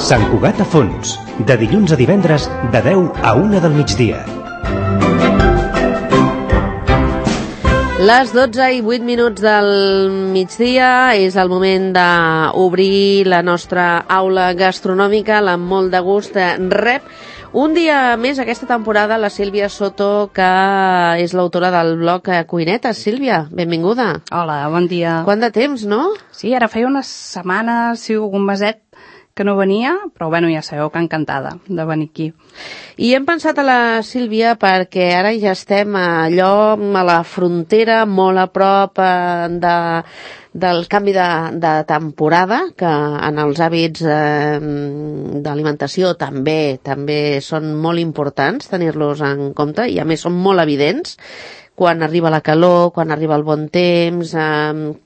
Sant Cugat a Fons, de dilluns a divendres, de 10 a 1 del migdia. Les 12 i 8 minuts del migdia és el moment d'obrir la nostra aula gastronòmica, la Molt de Gust rep un dia més aquesta temporada la Sílvia Soto, que és l'autora del blog Cuinetes. Sílvia, benvinguda. Hola, bon dia. Quant de temps, no? Sí, ara feia unes setmanes, sí, algun meset que no venia, però bueno, ja sabeu que encantada de venir aquí. I hem pensat a la Sílvia perquè ara ja estem allò a la frontera, molt a prop del canvi de temporada, que en els hàbits d'alimentació també són molt importants tenir-los en compte, i a més són molt evidents. Quan arriba la calor, quan arriba el bon temps,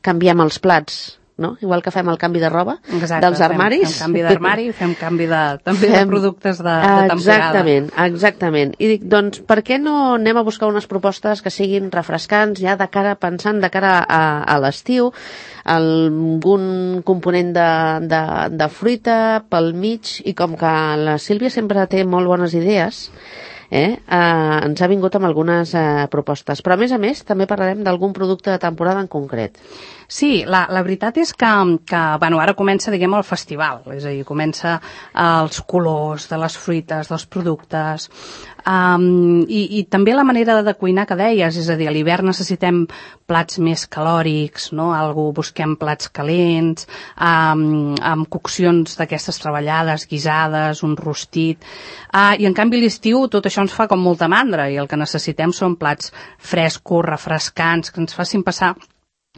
canviem els plats, no? Igual que fem el canvi de roba. Exacte, dels armaris. Fem canvi d'armari, fem canvi també de productes de temporada. Exactament. I dic, doncs, per què no anem a buscar unes propostes que siguin refrescants, ja pensant de cara a l'estiu, algun component de fruita pel mig, i com que la Sílvia sempre té molt bones idees, ens ha vingut amb algunes propostes. Però, a més, també parlarem d'algun producte de temporada en concret. Sí, la veritat és que bueno, ara comença, diguem, el festival, és a dir, comença els colors de les fruites, dels productes, i també la manera de cuinar que deies, és a dir, a l'hivern necessitem plats més calòrics, no? Busquem plats calents, amb coccions d'aquestes treballades, guisades, un rostit, i en canvi a l'estiu tot això ens fa com molta mandra, i el que necessitem són plats frescos, refrescants, que ens facin passar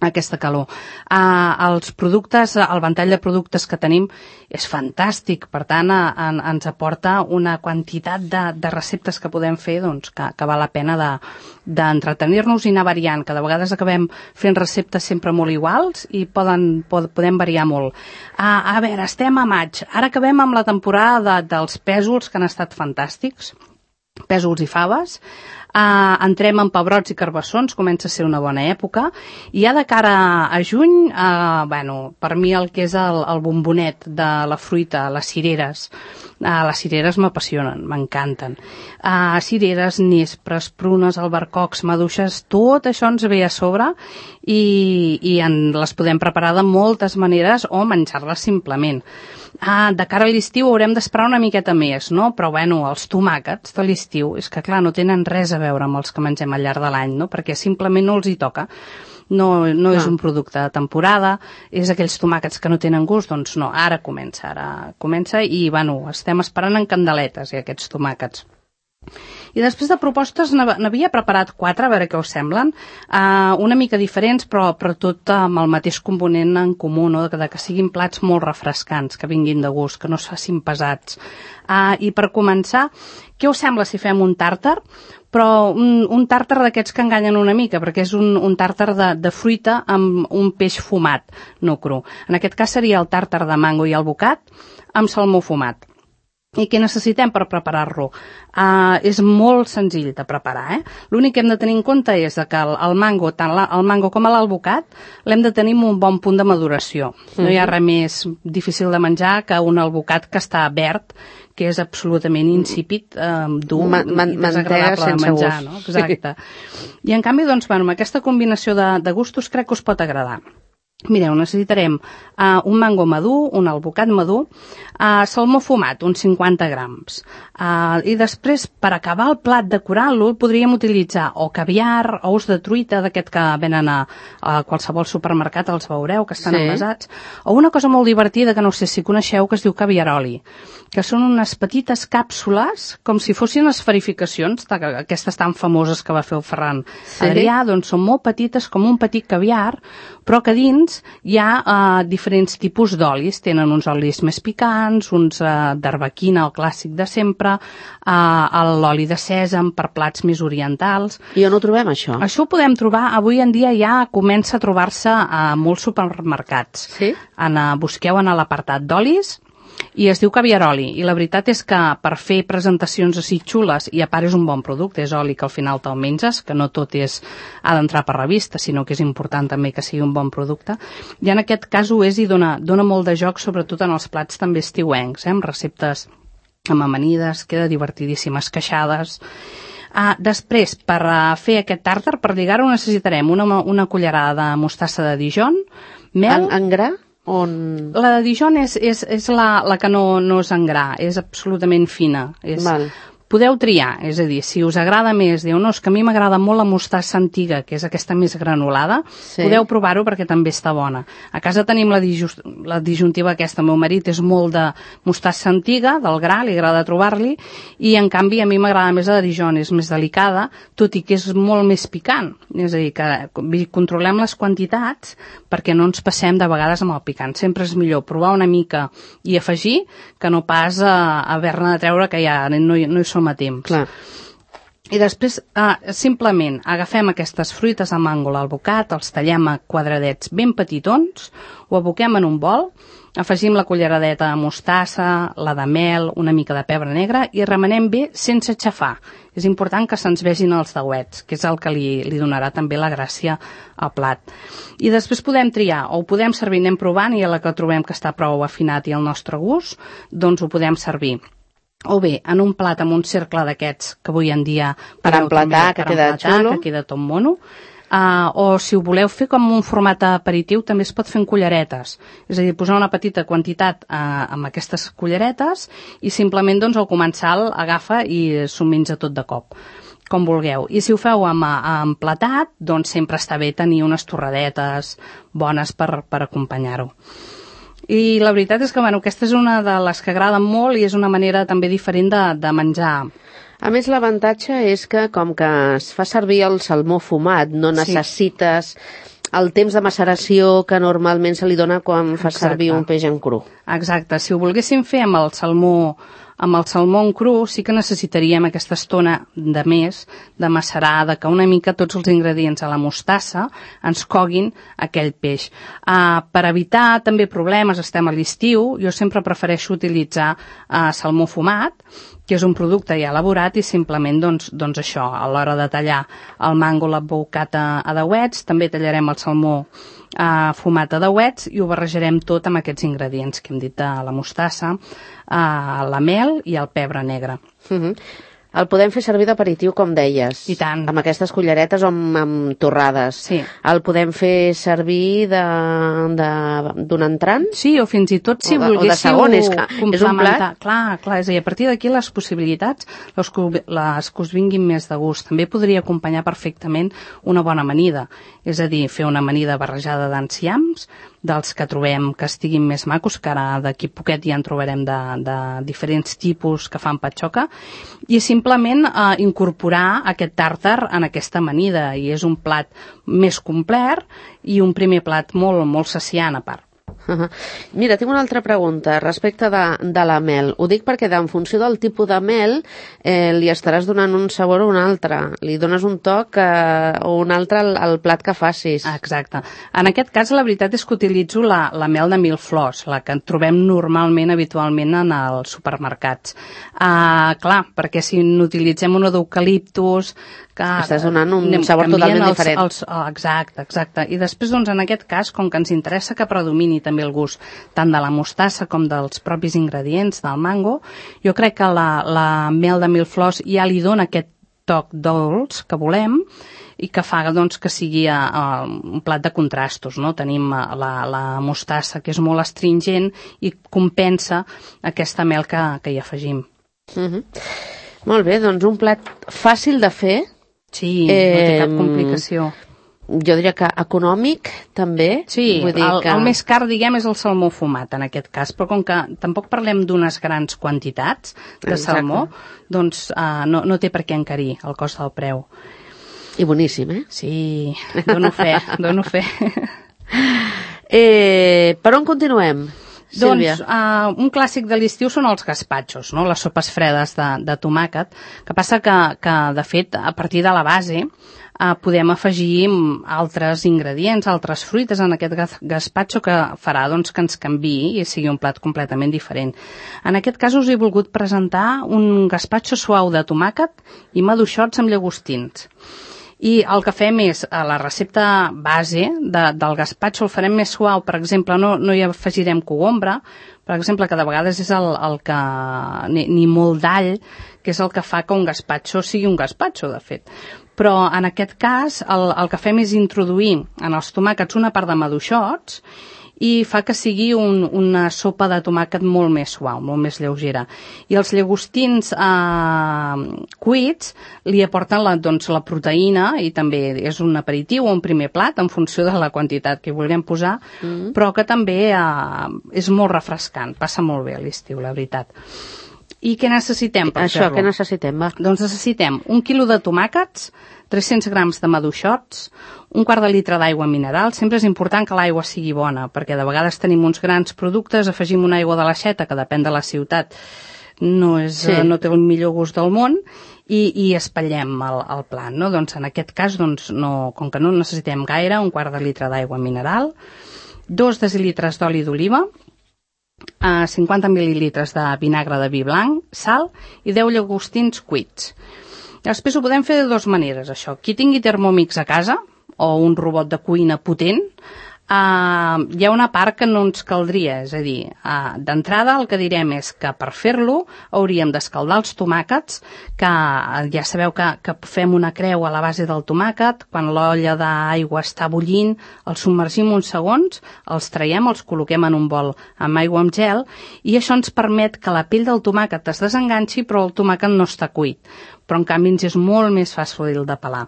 aquesta calor. Els productes, el ventall de productes que tenim és fantàstic, per tant ens aporta una quantitat de receptes que podem fer, doncs, que val la pena d'entretenir-nos i anar variant, que de vegades acabem fent receptes sempre molt iguals i podem variar molt. A veure, estem a maig, ara acabem amb la temporada dels pèsols, que han estat fantàstics, pèsols i faves. Entrem en pebrots i carbassons, comença a ser una bona època, i ja de cara a juny, bueno, per mi el que és el bombonet de la fruita, les cireres m'apassionen, m'encanten. Cireres, nespres, prunes, albercocs, maduixes, tot això ens ve a sobre i les podem preparar de moltes maneres o menjar-les simplement. De cara a l'estiu haurem d'esperar una miqueta més, no? Però bueno, els tomàquets de l'estiu, és que clar, no tenen res a veure amb els que mengem al llarg de l'any, no? Perquè simplement no els hi toca. No és un producte de temporada, és aquells tomàquets que no tenen gust, doncs no, ara comença i bueno, estem esperant en candeletes aquests tomàquets. I després de propostes n'havia preparat 4, a veure què us semblen, una mica diferents, però tot amb el mateix component en comú, no? De que siguin plats molt refrescants, que vinguin de gust, que no es facin pesats. I per començar, què us sembla si fem un tàrtar? Però un tàrtar d'aquests que enganyen una mica, perquè és un tàrtar de fruita amb un peix fumat, no cru. En aquest cas seria el tàrtar de mango i alvocat amb salmó fumat. I què necessitem per preparar-lo? És molt senzill de preparar, L'únic que hem de tenir en compte és que el mango, tant el mango com l'alvocat, l'hem de tenir un bon punt de maduració. No hi ha res més difícil de menjar que un alvocat que està verd, que és absolutament insípid, dur i desagradable de menjar, no? Exacte. I en canvi, doncs, bueno, amb aquesta combinació de gustos crec que us pot agradar. Mireu, necessitarem un mango madur, un alvocat madur, salmó fumat, uns 50 grams. I després, per acabar el plat decorant-lo, podríem utilitzar o caviar, ous de truita, d'aquest que venen a qualsevol supermercat, els veureu, que estan envasats, o una cosa molt divertida que no sé si coneixeu, que es diu caviaroli, que són unes petites càpsules, com si fossin esferificacions, aquestes tan famoses que va fer el Ferran Adrià, doncs són molt petites, com un petit caviar, però que dins hi ha diferents tipus d'olis. Tenen uns olis més picants, uns d'arbequina, el clàssic de sempre, l'oli de sèsam per plats més orientals. I on ho trobem, això? Això ho podem trobar, avui en dia ja comença a trobar-se a molts supermercats. Sí? Busqueu en l'apartat d'olis I es diu caviaroli, i la veritat és que per fer presentacions així xules, i a part és un bon producte, és oli que al final te'l menges, que no tot ha d'entrar per revista, sinó que és important també que sigui un bon producte, i en aquest cas ho és i dona molt de joc, sobretot en els plats també estiuencs, amb receptes amb amanides, queda divertidíssim, esqueixades. Després, per fer aquest tàrtar, per lligar-ho necessitarem una cullerada de mostassa de Dijon, mel... En gra? La de Dijon és la que no és en gra, és absolutament fina. Val. Podeu triar, és a dir, si us agrada més, diu, no, és que a mi m'agrada molt la mostassa antiga, que és aquesta més granulada, podeu provar-ho perquè també està bona. A casa tenim la disjuntiva aquesta, el meu marit és molt de mostassa antiga, del gra, li agrada trobar-li, i en canvi a mi m'agrada més la de Dijon, és més delicada, tot i que és molt més picant. És a dir, que controlem les quantitats perquè no ens passem de vegades amb el picant. Sempre és millor provar una mica i afegir que no pas haver-ne de treure que ja no hi som a temps. Clar. I després, simplement, agafem aquestes fruites de màngola al bocat, els tallem a quadradets ben petitons, ho aboquem en un bol, afegim la culleradeta de mostassa, la de mel, una mica de pebre negre i remenem bé sense aixafar. És important que se'ns vegin els dauets, que és el que li donarà també la gràcia al plat. I després podem triar, o ho podem servir, anem provant, i a la que trobem que està prou afinat i al nostre gust, doncs ho podem servir. O bé, en un plat amb un cercle d'aquests que avui en dia... Per emplatar, que queda xulo. Que queda tot mono. O si ho voleu fer com un format aperitiu, també es pot fer en culleretes. És a dir, posar una petita quantitat amb aquestes culleretes i simplement doncs, al començar agafa i s'ho menja tot de cop, com vulgueu. I si ho feu amb emplatat, doncs sempre està bé tenir unes torradetes bones per acompanyar-ho. I la veritat és que aquesta és una de les que agraden molt i és una manera també diferent de menjar. A més, l'avantatge és que, com que es fa servir el salmó fumat, no necessites el temps de maceració que normalment se li dona quan fa servir un peix en cru. Exacte. Si ho volguéssim fer amb el salmó en cru, sí que necessitaríem aquesta estona de més de macerar, de que una mica tots els ingredients a la mostassa ens coguin aquell peix. Per evitar també problemes, estem a l'estiu, jo sempre prefereixo utilitzar salmó fumat, que és un producte ja elaborat, i simplement doncs això, a l'hora de tallar el màngol abocat a dauets, també tallarem el salmó fumat a dauets i ho barrejarem tot amb aquests ingredients que hem dit de la mostassa, la mel i el pebre negre. El podem fer servir d'aperitiu, com deies. I tant. Amb aquestes culleretes o amb torrades. Sí. El podem fer servir d'un entrant? Sí, o fins i tot si volguéssiu... O de segon, és un plat? Clar, és a dir, a partir d'aquí les possibilitats, les que us vinguin més de gust. També podria acompanyar perfectament una bona amanida. És a dir, fer una amanida barrejada d'enciams, dels que trobem que estiguin més macos, que ara d'aquí poquet ja en trobarem de diferents tipus que fan patxoca, i simplement incorporar aquest tàrtar en aquesta amanida, i és un plat més complet i un primer plat molt, molt saciant a part. Mira, tinc una altra pregunta respecte de la mel. Ho dic perquè en funció del tipus de mel li estaràs donant un sabor o un altre. Li dones un toc o un altre al plat que facis. Exacte. En aquest cas la veritat és que utilitzo la mel de mil flors, la que trobem normalment, habitualment en els supermercats. Clar, perquè si n'utilitzem una d'eucaliptus... Estàs donant un sabor totalment diferent. Exacte. I després, doncs, en aquest cas, com que ens interessa que predomini també el gust tant de la mostassa com dels propis ingredients del mango, jo crec que la mel de mil flors ja li dona aquest toc dolç que volem i que fa doncs, que sigui un plat de contrastos, no? Tenim la mostassa, que és molt astringent i compensa aquesta mel que hi afegim. Molt bé, doncs un plat fàcil de fer. Sí, no té cap complicació. Jo diria que econòmic, també. Sí, vull dir el més car, diguem, és el salmó fumat, en aquest cas, però com que tampoc parlem d'unes grans quantitats de salmó, doncs no té per què encarir el cost del preu. I boníssim, Sí, dono fe. Per on continuem? Sílvia. Doncs un clàssic de l'estiu són els gaspatxos, no? Les sopes fredes de tomàquet, que passa que de fet, a partir de la base, podem afegir altres ingredients, altres fruites en aquest gaspatxo que farà doncs, que ens canviï i sigui un plat completament diferent. En aquest cas us he volgut presentar un gaspatxo suau de tomàquet i maduixots amb llagostins. I el que fem és, a la recepta base del gaspatxo el farem més suau, per exemple, no hi afegirem cogombre, per exemple, que de vegades és el que, ni molt d'all, que és el que fa que un gaspatxo sigui un gaspatxo, de fet. Però en aquest cas el que fem és introduir en els tomàquets una part de maduixots i fa que sigui una sopa de tomàquet molt més suau, molt més lleugera. I els llagostins cuits li aporten la proteïna i també és un aperitiu o un primer plat en funció de la quantitat que hi vulguem posar, però que també és molt refrescant, passa molt bé a l'estiu, la veritat. I què necessitem per fer-lo? Què necessitem, va? Doncs necessitem 1 quilo de tomàquets, 300 grams de maduixots, 1/4 de litre d'aigua mineral. Sempre és important que l'aigua sigui bona, perquè de vegades tenim uns grans productes, afegim una aigua de l'aixeta, que depèn de la ciutat, no té el millor gust del món, i espatllem el plat, no? Doncs en aquest cas, com que no necessitem gaire, 1/4 de litre d'aigua mineral, 2 decilitres d'oli d'oliva, 50 mil·lilitres de vinagre de vi blanc, sal i 10 llagostins cuits. Després ho podem fer de dues maneres, això. Qui tingui Thermomix a casa, o un robot de cuina potent, hi ha una part que no ens caldria, és a dir, d'entrada el que direm és que per fer-lo hauríem d'escaldar els tomàquets, que ja sabeu que fem una creu a la base del tomàquet, quan l'olla d'aigua està bullint, els submergim uns segons, els traiem, els col·loquem en un bol amb aigua amb gel, i això ens permet que la pell del tomàquet es desenganxi, però el tomàquet no està cuit. Però en canvi ens és molt més fàcil de pelar.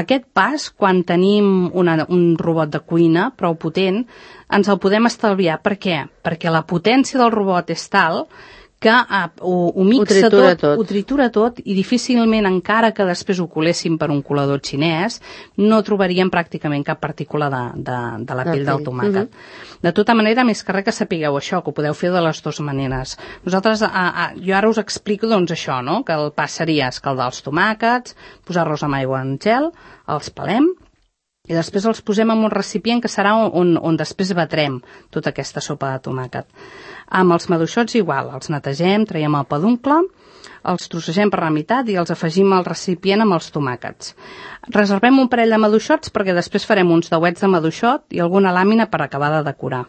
Aquest pas, quan tenim un robot de cuina prou potent, ens el podem estalviar. Per què? Perquè la potència del robot és tal que ho mixa tot, ho tritura tot, i difícilment, encara que després ho coléssim per un colador xinès, no trobaríem pràcticament cap partícula de la pell del tomàquet. De tota manera, més que res que sapigueu això, que ho podeu fer de les dues maneres. Nosaltres, jo ara us explico això, no? Que el pas seria escaldar els tomàquets, posar-los amb aigua en gel, els pelem, i després els posem en un recipient que serà on després batrem tota aquesta sopa de tomàquet. Amb els maduixots igual, els netegem, traiem el peduncle, els trossegem per la meitat i els afegim al recipient amb els tomàquets. Reservem un parell de maduixots perquè després farem uns dauets de maduixot i alguna làmina per acabar de decorar.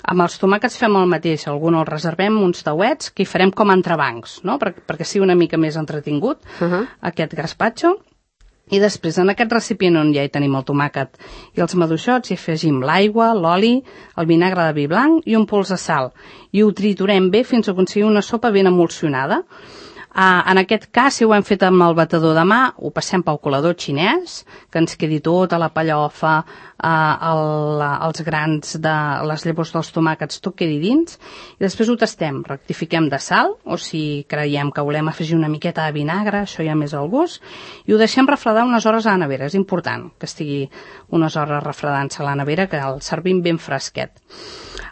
Amb els tomàquets fem el mateix, alguns els reservem uns dauets que hi farem com a entrebancs, no? perquè sigui una mica més entretingut aquest gaspatxo. I després, en aquest recipient on ja hi tenim el tomàquet i els maduixots, hi afegim l'aigua, l'oli, el vinagre de vi blanc i un pols de sal. I ho triturem bé fins a aconseguir una sopa ben emulsionada. En aquest cas, si ho hem fet amb el batedor de mà, ho passem pel colador xinès, que ens quedi tota la pellofa, els grans de les llavors dels tomàquets, tot quedi dins, i després ho tastem, rectifiquem de sal, o si creiem que volem afegir una miqueta de vinagre, això ja més al gust, i ho deixem refredar unes hores a la nevera. És important que estigui unes hores refredant-se a la nevera, que el servim ben fresquet.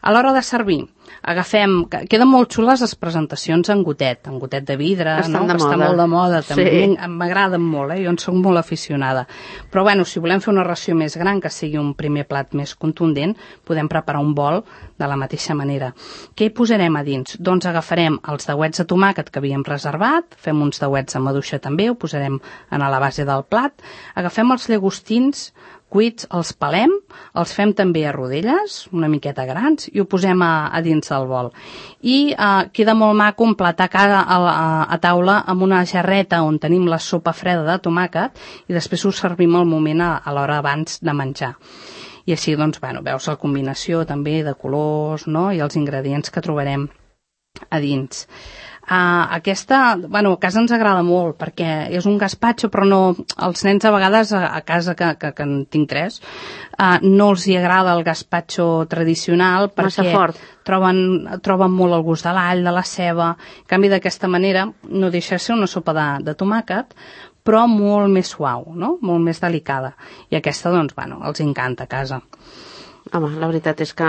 A l'hora de servir, queden molt xules les presentacions en gotet de vidre, no? Que està molt de moda, també m'agraden molt, jo en soc molt aficionada. Però bueno, si volem fer una ració més gran, que sigui un primer plat més contundent, podem preparar un bol de la mateixa manera. Què hi posarem a dins? Doncs agafarem els dauets de tomàquet que havíem reservat, fem uns dauets amb maduixa també, ho posarem a la base del plat, agafem els llagostins cuits, els pelem, els fem també a rodelles, una miqueta grans, i ho posem a dins del bol. I queda molt maco emplatar a taula amb una jarreta on tenim la sopa freda de tomàquet i després ho servim al moment a l'hora abans de menjar. I així, doncs, veus la combinació també de colors, no?, i els ingredients que trobarem a dins. Aquesta, a casa ens agrada molt perquè és un gaspatxo, però no, els nens a vegades a casa, que en tinc 3, no els hi agrada el gaspatxo tradicional perquè troben molt el gust de l'all, de la ceba. En canvi, d'aquesta manera no deixa de ser una sopa de tomàquet, però molt més suau, no? Molt més delicada. I aquesta, doncs, els encanta a casa. Home, la veritat és que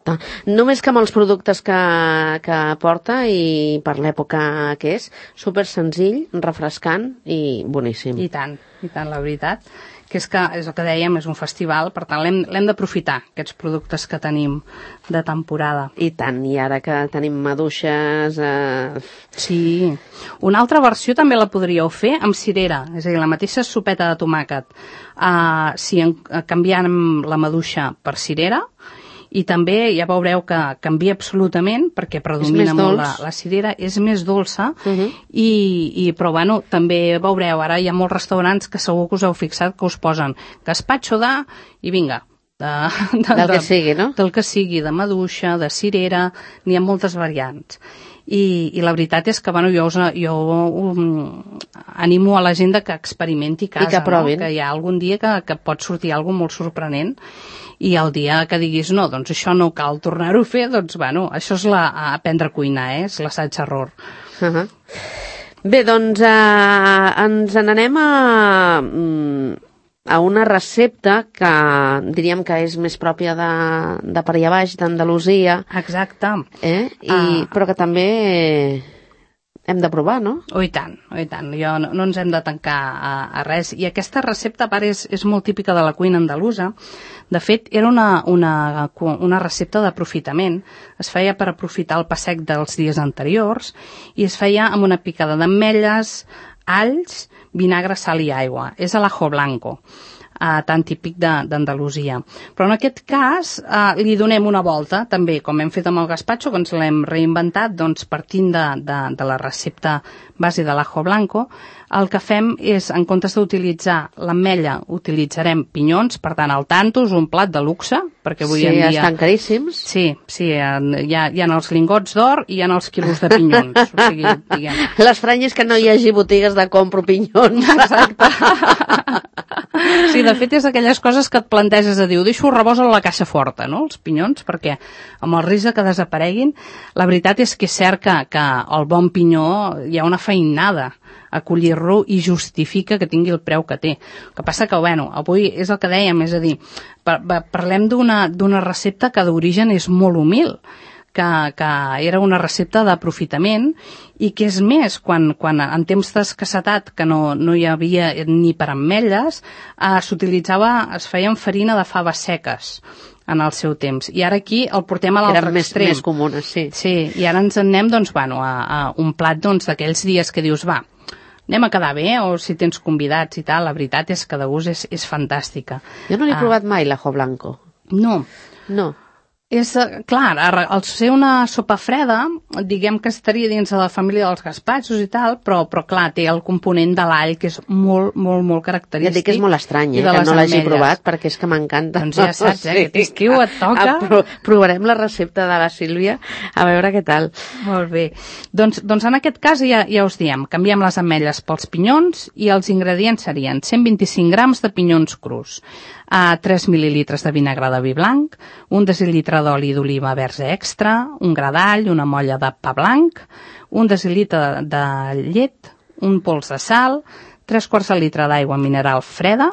Exacte. Només que amb els productes que porta i per l'època que és, super senzill, refrescant i boníssim. I tant, la veritat. Que és el que dèiem, és un festival, per tant l'hem d'aprofitar, aquests productes que tenim de temporada. I tant, i ara que tenim maduixes... Sí. Una altra versió també la podríeu fer amb cirera, és a dir, la mateixa sopeta de tomàquet. Canviant la maduixa per cirera, i també ja veureu que canvia absolutament perquè predomina molt la cirera, és més dolça, però bueno, també veureu, ara hi ha molts restaurants que segur que us heu fixat que us posen gazpacho i vinga, del que sigui, no? Del que sigui, de maduixa, de cirera, n'hi ha moltes variants. I la veritat és que bueno, jo animo a la gent que experimenti a casa, i que provin, no? Que hi ha algun dia que pot sortir alguna molt sorprenent, i el dia que diguis no, doncs això no cal tornar-ho a fer, doncs bueno, això és aprendre a cuinar, és l'assaig-error. Bé, doncs ens n'anem a una recepta que diríem que és més pròpia de per allà baix, d'Andalusia. Exacte. Però que també hem de provar, no? Oh, i tant. No ens hem de tancar a res. I aquesta recepta, a part, és molt típica de la cuina andalusa. De fet, era una recepta d'aprofitament. Es feia per aprofitar el pa sec dels dies anteriors i es feia amb una picada d'ametlles, alls, vinagre, sal i aigua. És l'ajo blanco, tan típic d'Andalusia. Però en aquest cas li donem una volta, també, com hem fet amb el gazpacho, que ens l'hem reinventat, doncs partint de la recepta base de l'ajo blanco, el que fem és, en comptes d'utilitzar l'ametlla, utilitzarem pinyons, per tant, al tanto, és un plat de luxe, perquè avui en dia... Sí, estan caríssims. Sí, hi ha els lingots d'or i hi ha els quilos de pinyons. O sigui, diguem... L'estrany és que no hi hagi botigues de compro pinyons. Exacte. Sí, de fet, és d'aquelles coses que et planteges de dir, deixo rebosa a la caixa forta, no?, els pinyons, perquè amb el risc que desapareguin, la veritat és que és cert que el bon pinyó hi ha una feinada a collir-lo i justifica que tingui el preu que té. El que passa que, bueno, avui és el que dèiem, és a dir, parlem d'una recepta que d'origen és molt humil, que era una recepta d'aprofitament i que és més, quan en temps d'escassetat, que no hi havia ni per ametlles, es feien farina de faves seques en el seu temps. I ara aquí el portem a l'altre extrem. Eren més comunes, sí. Sí, i ara ens en anem, doncs, bueno, a un plat d'aquells dies que dius, va, anem a quedar bé, o si tens convidats i tal, la veritat és que de gust és fantàstica. Jo no l'he provat mai, l'ajo blanco. No. És, clar, al ser una sopa freda, diguem que estaria dins de la família dels gazpachos i tal, però clar, té el component de l'all, que és molt, molt, molt característic. Ja et dic que és molt estrany, que no l'hagi provat, perquè és que m'encanta. Doncs ja saps, aquest estiu et toca. Provarem la recepta de la Sílvia, a veure què tal. Molt bé. Doncs en aquest cas ja us diem, canviem les ametlles pels pinyons i els ingredients serien 125 grams de pinyons crus, 3 mil·lilitres de vinagre de vi blanc, 1 decilitre d'oli d'oliva verge extra, un gra d'all, una molla de pa blanc, 1 decilitre de llet, un pols de sal, 3/4 de litre d'aigua mineral freda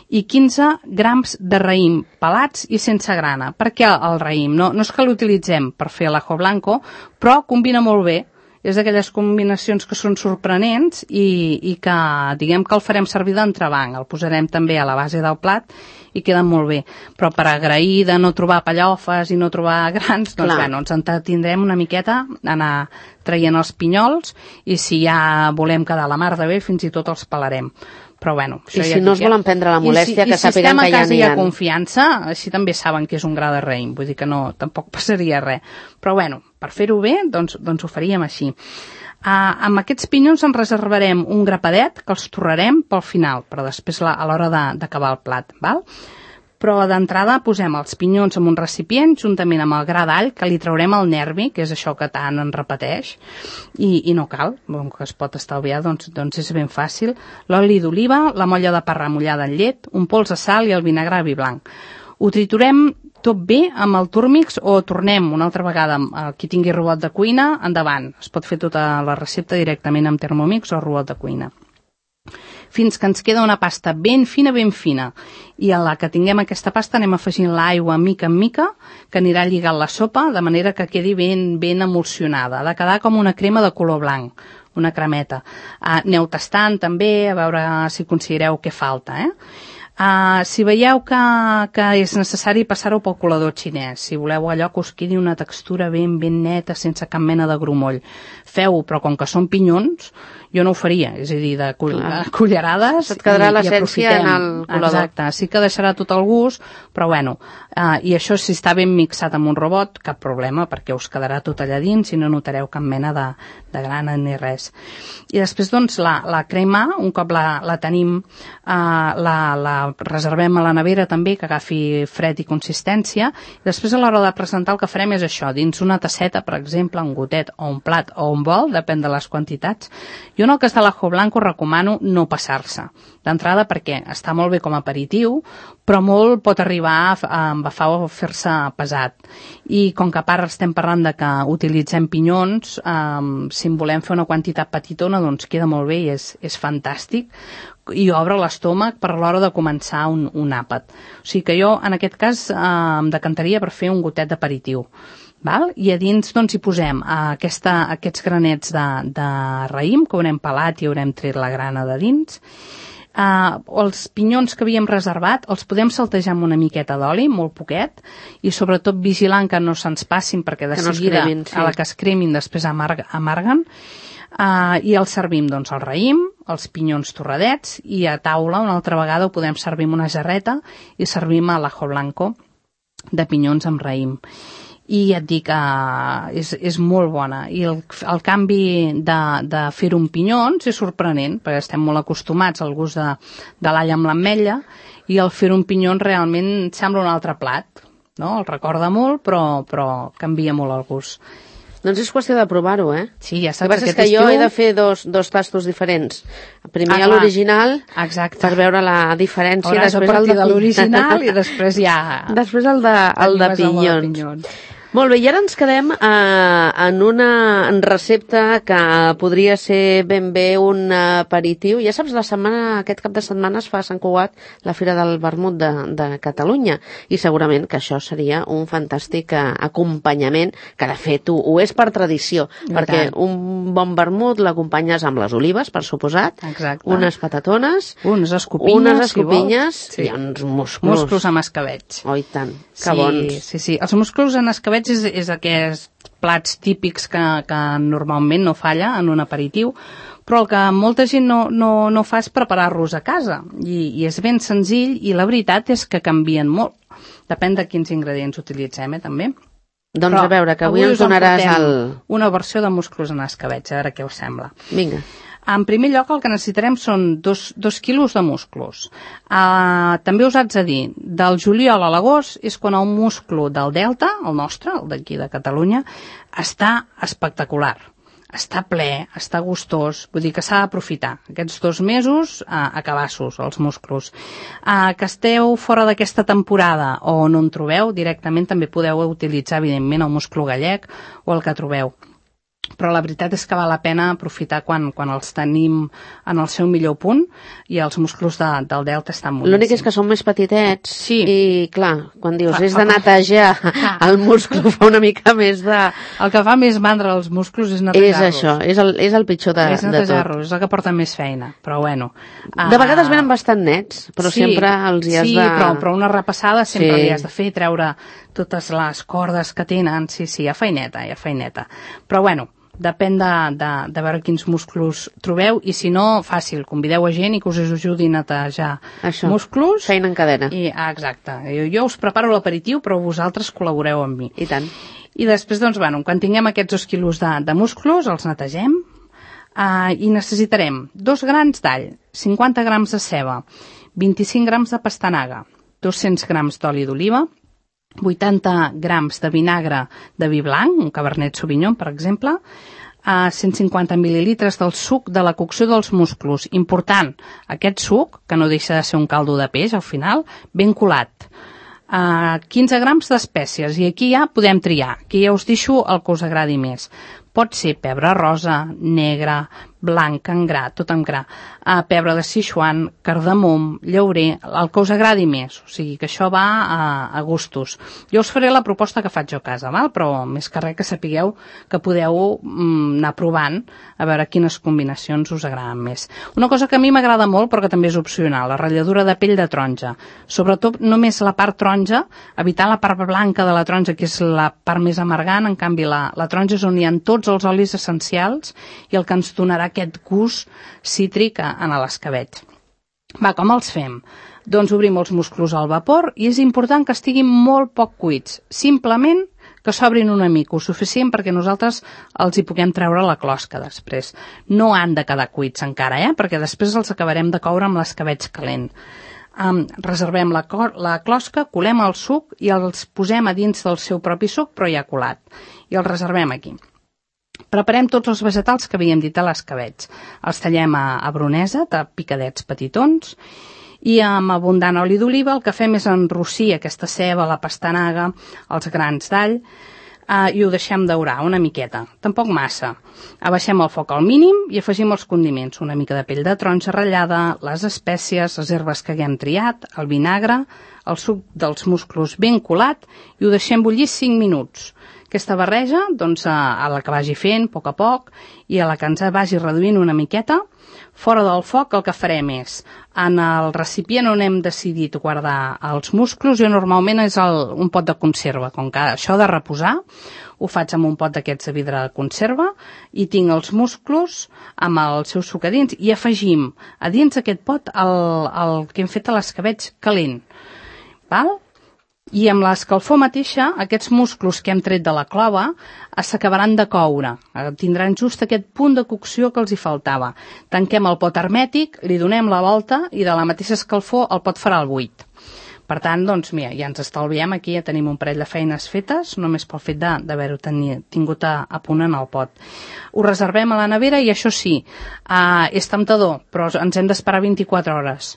i 15 grams de raïm pelats i sense grana. Per què el raïm? No és que l'utilitzem per fer l'ajo blanco, però combina molt bé. És d'aquelles combinacions que són sorprenents i que, diguem que el farem servir d'entrebanc. El posarem també a la base del plat i queda molt bé. Però per agrair de no trobar pallofes i no trobar grans, doncs bueno, ens entretindrem una miqueta a anar traient els pinyols i si ja volem quedar a la mar de bé, fins i tot els pelarem. Però bueno, això I si no es volen prendre la molèstia, que sàpiguen que ja n'hi ha. I si estem a casa i hi ha confiança, així també saben que és un gra de raïm, vull dir que no, tampoc passaria res. Però bueno, per fer-ho bé, doncs ho faríem així. Amb aquests pinyons en reservarem un grapadet que els torrarem pel final, per després a l'hora d'acabar el plat, val? Però d'entrada posem els pinyons en un recipient juntament amb el gra d'all, que li traurem el nervi, que és això que tant en repeteix, i no cal, que es pot estalviar, doncs és ben fàcil. L'oli d'oliva, la molla de pa remullada en llet, un pols de sal i el vinagre vi blanc. Ho triturem tot bé amb el Turmix o tornem una altra vegada, qui tingui robot de cuina, endavant. Es pot fer tota la recepta directament amb Thermomix o robot de cuina. fins que ens queda una pasta ben fina, i a la que tinguem aquesta pasta anem afegint l'aigua mica en mica, que anirà lligant la sopa, de manera que quedi ben emulsionada. Ha de quedar com una crema de color blanc, una cremeta. Aneu tastant també, a veure si considereu què falta, si veieu que és necessari passar-ho pel colador xinès, si voleu allò que us quedi una textura ben neta, sense cap mena de grumoll, feu-ho, però com que són pinyons, jo no ho faria, és a dir, de cullerades et quedarà l'essència en el colador. Exacte, sí que deixarà tot el gust, però bueno, i això si està ben mixat amb un robot, cap problema, perquè us quedarà tot allà dins i no notareu cap mena de grana ni res. I després, doncs, la crema, un cop la tenim, la reservem a la nevera també, que agafi fred i consistència, i després a l'hora de presentar el que farem és això, dins una tasseta, per exemple, un gotet o un plat o un bol, depèn de les quantitats. Jo en el cas de l'ajo blanco recomano no passar-se, d'entrada perquè està molt bé com a aperitiu, però molt pot arribar a embafar o fer-se pesat. I com que a part estem parlant de que utilitzem pinyons, si en volem fer una quantitat petitona, doncs queda molt bé i és fantàstic, i obre l'estómac per l'hora de començar un àpat. O sigui que jo, en aquest cas, em decantaria per fer un gotet d'aperitiu. I a dins doncs, hi posem aquests granets de raïm, que haurem pelat i haurem tret la grana de dins. Els pinyons que havíem reservat els podem saltejar amb una miqueta d'oli, molt poquet, i sobretot vigilant que no se'ns passin, perquè de seguida, a la que es cremin, després amarguen. I els servim, doncs, el raïm, els pinyons torradets, i a taula una altra vegada ho podem servir amb una jarreta i servim a l'ajo blanco de pinyons amb raïm. I ja et dic, és molt bona. I el canvi de fer-ho amb pinyons és sorprenent, perquè estem molt acostumats al gust de l'all amb l'ametlla, i el fer-ho amb pinyons realment sembla un altre plat, no? El recorda molt, però canvia molt el gust. Doncs és qüestió de provar-ho, Sí, ja saps. El que passa és que jo he de fer dos tastos diferents. Primer l'original, per veure la diferència. Hauràs de partir de l'original i després ja... Després el de pinyons. Molt bé, i ara ens quedem en una recepta que podria ser ben bé un aperitiu. Ja saps, aquest cap de setmana es fa a Sant Cugat la Fira del Vermut de Catalunya, i segurament que això seria un fantàstic acompanyament, que de fet ho és per tradició, perquè un bon vermut l'acompanyes amb les olives, per suposat, unes patatones, unes escopinyes i uns musclos. Musclos amb escabeig. Oh, i tant, que bons. Sí. Els musclos en escabeig és aquests plats típics que normalment no falla en un aperitiu, però el que molta gent no fa és preparar-los a casa, i és ben senzill, i la veritat és que canvien molt. Depèn de quins ingredients utilitzem, també. Doncs però a veure, que avui ens donaràs una versió de musclos en escabeig, a veure què us sembla. Vinga. En primer lloc, el que necessitarem són 2 quilos de musclos. També us haig de dir, del juliol a l'agost és quan el musclo del Delta, el nostre, el d'aquí de Catalunya, està espectacular. Està ple, està gustós, vull dir que s'ha d'aprofitar. Aquests 2 mesos a cabassos, els musclos. Que esteu fora d'aquesta temporada o no en trobeu, directament també podeu utilitzar, evidentment, el musclo gallec o el que trobeu. Però la veritat és que val la pena aprofitar quan els tenim en el seu millor punt, i els musclos del Delta estan boníssims. L'únic és que són més petitets, i clar, quan dius és de netejar el musclo fa una mica més de... El que fa més mandra als musclos és netejar-los. És això, és el pitjor de tot. És netejar-los, és el que porta més feina, però bueno. De vegades venen bastant nets, però sempre els hi has de... Sí, però una repassada sempre li has de fer, treure totes les cordes que tenen, sí, hi ha feineta. Però bueno, depèn de veure quins musclos trobeu, i si no, fàcil, convideu a gent i que us ajudi a netejar musclos. Feina en cadena. Exacte. Jo us preparo l'aperitiu, però vosaltres col·laboreu amb mi. I tant. I després, doncs, quan tinguem aquests 2 quilos de musclos, els netegem, i necessitarem 2 grans d'all, 50 grams de ceba, 25 grams de pastanaga, 200 grams d'oli d'oliva, 80 grams de vinagre de vi blanc, un Cabernet Sauvignon, per exemple, 150 mil·lilitres del suc de la cocció dels musclos. Important, aquest suc, que no deixa de ser un caldo de peix, al final, ben colat. 15 grams d'espècies, i aquí ja podem triar, aquí ja us deixo el que us agradi més. Pot ser pebre rosa, negre, blanc, en gra, tot en gra, pebre de Sichuan, cardamom, llaurer, el que us agradi més, o sigui que això va a gustos. Jo us faré la proposta que faig jo a casa, val? Però més que res que sapigueu que podeu anar provant a veure quines combinacions us agraden més. Una cosa que a mi m'agrada molt però que també és opcional, la ratlladura de pell de taronja, sobretot només la part taronja, evitar la part blanca de la taronja que és la part més amargant, en canvi la taronja és on hi ha tots els olis essencials i el que ens donarà aquest gust cítric en l'escabetx. Va, com els fem? Doncs obrim els musclos al vapor i és important que estiguin molt poc cuits, simplement que s'obrin una mica, o suficient perquè nosaltres els hi puguem treure la closca després. No han de quedar cuits encara, perquè després els acabarem de coure amb l'escabetx calent. Reservem la closca, colem el suc i els posem a dins del seu propi suc, però ja colat, i els reservem aquí. Preparem tots els vegetals que havíem dit a l'escabetx. Els tallem a bronesa, de picadets petitons, i amb abundant oli d'oliva el que fem és enrossir aquesta ceba, la pastanaga, els grans d'all, i ho deixem daurar una miqueta, tampoc massa. Abaixem el foc al mínim i afegim els condiments, una mica de pell de taronja ratllada, les espècies, les herbes que haguem triat, el vinagre, el suc dels musclos ben colat i ho deixem bullir 5 minuts. Aquesta barreja, doncs, a la que vagi fent, a poc, i a la que ens vagi reduint una miqueta, fora del foc el que farem és, en el recipient on hem decidit guardar els musclos, jo normalment és un pot de conserva, com que això de reposar, ho faig amb un pot d'aquests de vidre de conserva, i tinc els musclos amb el seu suc a dins, i afegim a dins aquest pot el que hem fet a l'escabetx calent, val? I amb l'escalfor mateixa, aquests musclos que hem tret de la clova s'acabaran de coure. Tindran just aquest punt de cocció que els hi faltava. Tanquem el pot hermètic, li donem la volta i de la mateixa escalfor el pot farà el buit. Per tant, doncs, mira, ja ens estalviem aquí, ja tenim un parell de feines fetes, només pel fet d'haver-ho tingut a punt en el pot. Ho reservem a la nevera i això sí, és temptador, però ens hem d'esperar 24 hores.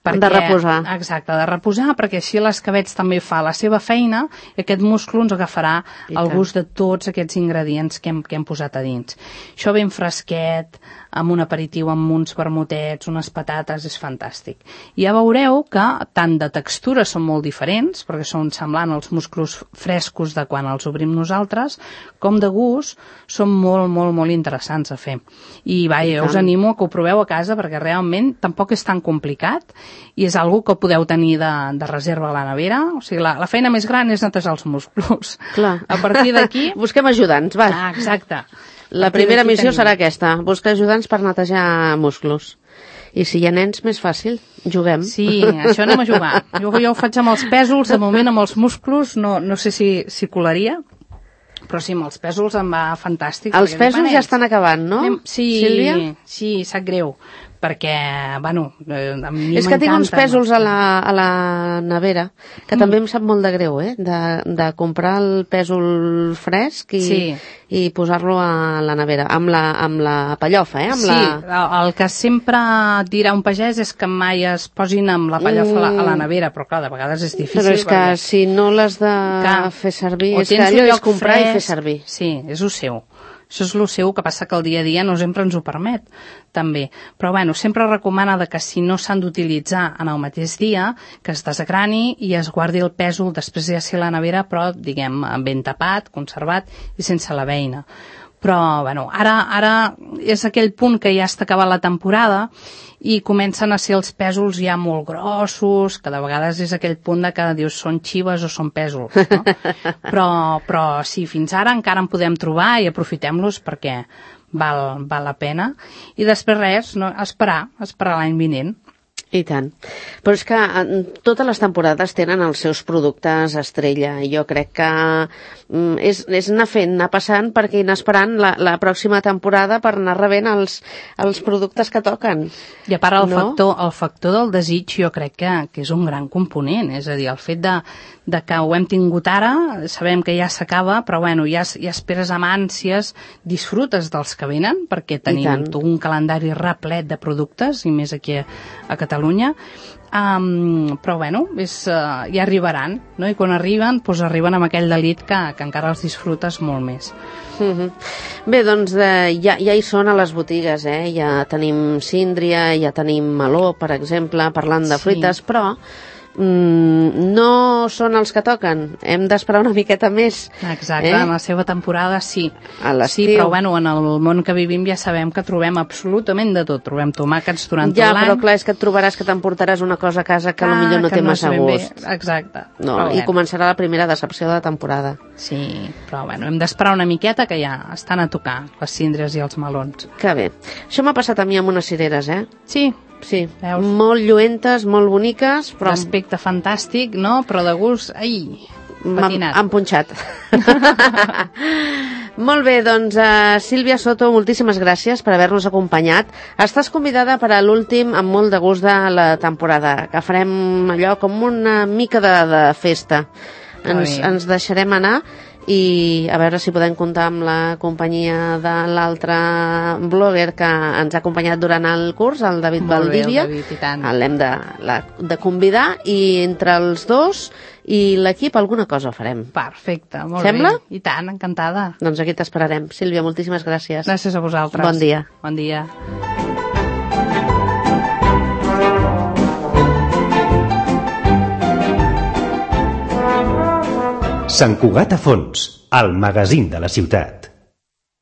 De reposar. Exacte, de reposar, perquè així l'escabetx també fa la seva feina i aquest musclo ens agafarà el gust de tots aquests ingredients que hem posat a dins. Això ben fresquet, amb un aperitiu, amb uns vermutets, unes patates, és fantàstic. I ja veureu que tant de textura són molt diferents, perquè són semblant als musclos frescos de quan els obrim nosaltres, com de gust són molt, molt, molt interessants a fer. I vaja, us animo que ho proveu a casa, perquè realment tampoc és tan complicat i és algo que podeu tenir de reserva a la nevera. O sigui, la feina més gran és netejar els musclos. Clar. A partir d'aquí... Busquem ajudants, va. Exacte. La primera missió serà aquesta, buscar ajudants per netejar musclos. I si hi ha nens, més fàcil, juguem. Sí, això anem a jugar. Jo ho faig amb els pèsols, de moment amb els musclos, no sé si colaria, però sí, amb els pèsols em va fantàstic. Els pèsols ja estan acabant, no? Sí, Sílvia? Sí, sap greu, perquè, bueno, a mi és que tinc uns pèsols a la nevera, que també em sap molt de greu, de comprar el pèsol fresc i posar-lo a la nevera, amb la pellofa, el que sempre dirà un pagès és que mai es posin amb la pellofa a la nevera, però clar, de vegades és difícil. Però és que si no l'has de fer servir, és que allò és comprar i fer servir. Sí, és el seu. Això és el seu, que passa que el dia a dia no sempre ens ho permet, també. Però, bueno, sempre recomana que si no s'han d'utilitzar en el mateix dia, que es desgrani i es guardi el pèsol després ja ser a la nevera, però, diguem, ben tapat, conservat i sense la beina. Però, bueno, ara és aquell punt que ja està acabant la temporada i comencen a ser els pèsols ja molt grossos, que de vegades és aquell punt de que dius són xives o són pèsols, no? Però sí, fins ara encara en podem trobar i aprofitem-los perquè val la pena. I després res, no, esperar l'any vinent. I tant. Però és que totes les temporades tenen els seus productes estrella. Jo crec que és anar fent, anar passant perquè anar esperant la pròxima temporada per anar rebent els productes que toquen. I a part el factor del desig jo crec que és un gran component. És a dir, el fet de que ho hem tingut ara, sabem que ja s'acaba, però bueno, ja esperes amb ànsies, disfrutes dels que venen, perquè tenim un calendari replet de productes, i més aquí a Catalunya, però bueno, ja arribaran, no? I quan arriben, doncs arriben amb aquell delit que encara els disfrutes molt més. Bé, doncs ja hi són a les botigues, ja tenim síndria, ja tenim meló, per exemple, parlant de fruites, però no són els que toquen, hem d'esperar una miqueta més. Exacte, en la seva temporada sí. A l'estiu. Sí, però bueno, en el món que vivim ja sabem que trobem absolutament de tot. Trobem tomàquets durant tot l'any. Ja, però clar, és que et trobaràs que t'emportaràs una cosa a casa que potser no té massa gust. Exacte. No, i començarà la primera decepció de la temporada. Sí, però bueno, hem d'esperar una miqueta que ja estan a tocar les síndries i els melons. Que bé. Això m'ha passat a mi amb unes cireres, Sí, veus? Molt lluentes, molt boniques, però... D'aspecte fantàstic, no? Però de gust, patinat. Han punxat. Molt bé, doncs, Sílvia Soto, moltíssimes gràcies per haver-nos acompanyat. Estàs convidada per a l'últim amb molt de gust de la temporada, que farem allò com una mica de festa. Ens deixarem anar i a veure si podem comptar amb la companyia de l'altre blogger que ens ha acompanyat durant el curs, el David Valdivia. L'hem de convidar i entre els dos i l'equip alguna cosa farem. Perfecte, molt Sembla? bé. I tant, encantada. Doncs aquí t'esperarem. Sílvia, moltíssimes gràcies. Gràcies a vosaltres. Bon dia. Bon dia. Sant Cugat a Fons, el magazín de la ciutat.